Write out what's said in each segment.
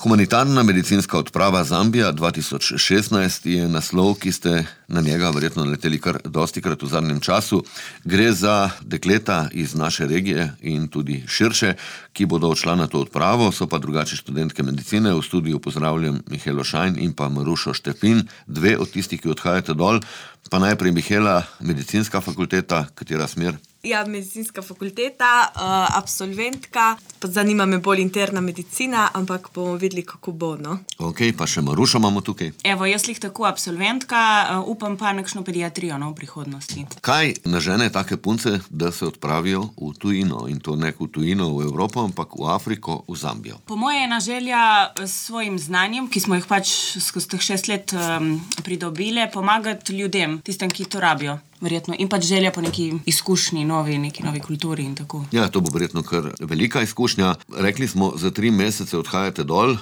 Humanitarna medicinska odprava Zambija 2016 je naslov, ki ste na njega verjetno naleteli kar dostikrat v zadnjem času. Gre za dekleta iz naše regije in tudi širše, ki bodo odšla na to odpravo, so pa drugače študentke medicine. V studiu pozdravljam Mihelo Šajn in pa Marušo Štefin, dve od tistih, ki odhajate dol. Pa najprej Mihela, medicinska fakulteta, katera smer? Ja, medicinska fakulteta, absolventka, pa zanima me bolj interna medicina, ampak bomo videli, kako bo, no. Ok, pa še Marušo imamo tukaj. Evo, jaz lih tako absolventka, upam pa nekšno pediatrijo, no, v prihodnosti. Kaj nažene take punce, da se odpravijo v tujino? In to ne v tujino, v Evropo, ampak v Afriko, v Zambijo. Po moje je ena želja s svojim znanjem, ki smo jih pač skozi teh 6 let pridobile, pomagati ljudem, tistem, ki to rabijo. Verjetno. In pač želja po neki izkušnji, neki novi kulturi in tako. Ja, to bo verjetno kar velika izkušnja. Rekli smo, za 3 mesece odhajate dol,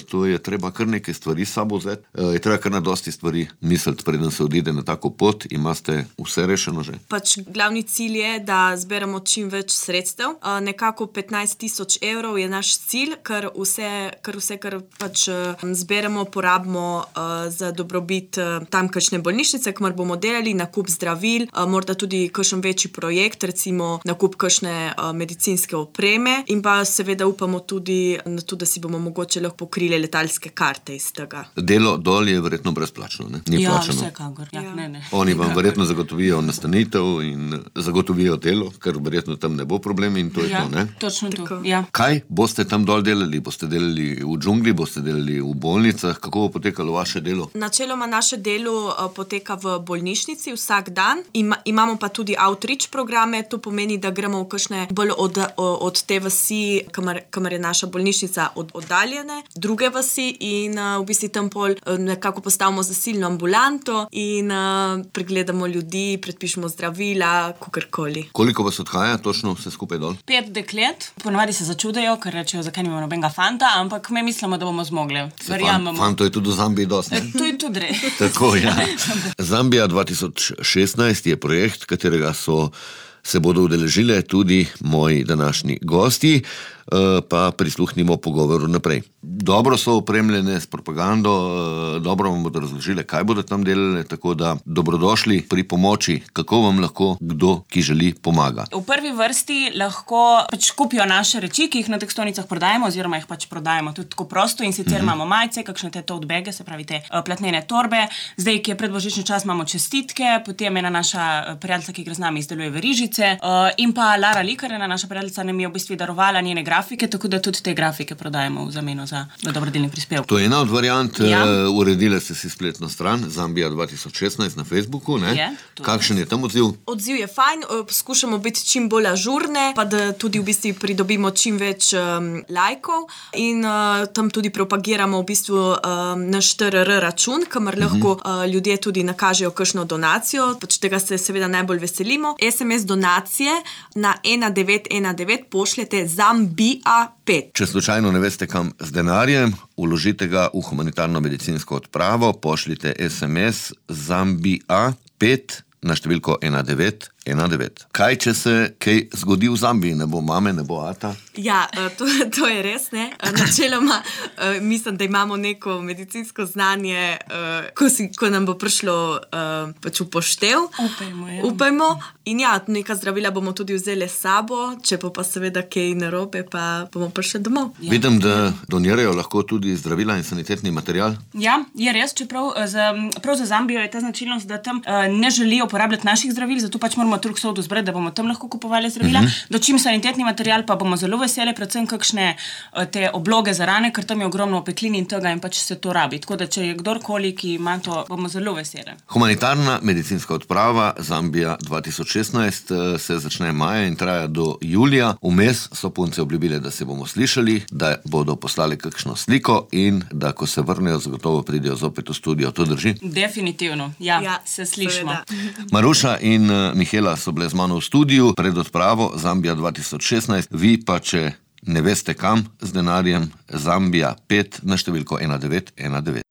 to je treba kar nekaj stvari s sabo vzeti. Je treba kar na dosti stvari misliti, preden se odide na tako pot. Imate vse rešeno že? Pač glavni cilj je, da zberemo čim več sredstev. Nekako 15,000 evrov je naš cilj, kar vse, kar pač zberemo, porabimo za dobrobit tamkajšnje bolnišnice, kamor bomo delali, nakup zdravil, morda tudi kakšen večji projekt, recimo nakup kakšne medicinske opreme in pa seveda upamo tudi na to, da si bomo mogoče lahko pokrili letalske karte iz tega. Delo dol je verjetno brezplačno, ne? Ni plačano. Vsekakor. Ja, ne. Oni vam verjetno zagotovijo nastanitev in zagotovijo delo, ker verjetno tam ne bo problem in to je to, ne? Točno to, ja. Kaj boste tam dol delali? Boste delali v džungli, boste delali v bolnicah? Kako bo potekalo vaše delo? Načeloma naše delo poteka v bolnišnici vsak dan. Imamo pa tudi outreach programe, to pomeni, da gremo v kakšne bolj od te vasi, kamor je naša bolnišnica oddaljene, druge vasi in v bistvu tam pol nekako postavimo zasilno ambulanto in pregledamo ljudi, predpišemo zdravila, kakorkoli. Koliko vas odhaja točno vse skupaj dol? 5 deklet. Ponavadi se začudejo, ker rečejo, zakaj nimamo nobenega fanta, ampak mi mislimo, da bomo zmogli. Verjamemo. Fanto je tudi v Zambiji dosti, ne? To je tudi res. Tako, ja. Zambija 2016 je projekt, katerega se bodo udeležile tudi moji današnji gosti, pa prisluhnimo pogovoru naprej. Dobro so opremljene s propagando, dobro vam bodo razložile, kaj bodo tam delali, tako da dobrodošli pri pomoči, kako vam lahko kdo, ki želi, pomaga. V prvi vrsti lahko pač kupijo naše reči, ki jih na teh stojnicah prodajemo, oziroma jih pač prodajemo tudi tako prosto in sicer imamo majice, kakšne te tote bage, se pravi te platnene torbe. Zdaj, ki je predbožični čas, imamo čestitke, potem ena naša prijateljica, ki gre z nami, izdeluje verižice, in pa Lara Likar, ena naša prijateljica, nam je v bistvu darovala njene grafike, tako da tudi te grafike prodajemo v zameno za dobrodelni prispevek. To je ena od variant. Uredile ste si spletno stran Zambija 2016 na Facebooku, ne? Kakšen je tam odziv? Odziv je fajn, poskušamo biti čim bolj ažurne, pa da tudi v bistvu pridobimo čim več lajkov in tam tudi propagiramo v bistvu naš TRR račun, kamor lahko ljudje tudi nakažejo kakšno donacijo, pač tega se seveda najbolj veselimo. SMS donacije na 1919 pošljete Zambija 5. Če slučajno ne veste, kam z denarjem, vložite ga v humanitarno medicinsko odpravo, pošljite SMS Zambija 5 na številko 1919. Kaj, če se kaj zgodi v Zambiji? Ne bo mame, ne bo ata? Ja, to je res, ne. Načeloma mislim, da imamo neko medicinsko znanje, ko nam bo prišlo pač v poštev. Upajmo. In ja, neka zdravila bomo tudi vzeli s sabo, če pa seveda kaj narobe, pa bomo prišli domov. Ja. Vidim, da donirajo lahko tudi zdravila in sanitetni material. Ja, je res, čeprav prav za Zambijo je ta značilnost, da tam ne želijo uporabljati naših zdravil, zato pač moramo trg sodu zbrati, da bomo tam lahko kupovali zdravila. Dočim sanitetni material pa bomo zelo veseli, predvsem kakšne te obloge za rane, ker tam je ogromno opeklin in tega in pač se to rabi. Tako da, če je kdorkoli, ki ima to, bomo zelo veseli. Humanitarna medicinska odprava Zambija 2016 se začne maja in traja do julija. Vmes so punce obljubile, da se bomo slišali, da bodo poslali kakšno sliko in da, ko se vrnejo, zagotovo pridejo zopet v studio. To drži? Definitivno, ja, se slišimo. Maruša in Mihela so bile z mano v studiu pred odpravo Zambija 2016. Vi pa, če ne veste kam z denarjem, Zambija 5 na številko 1919.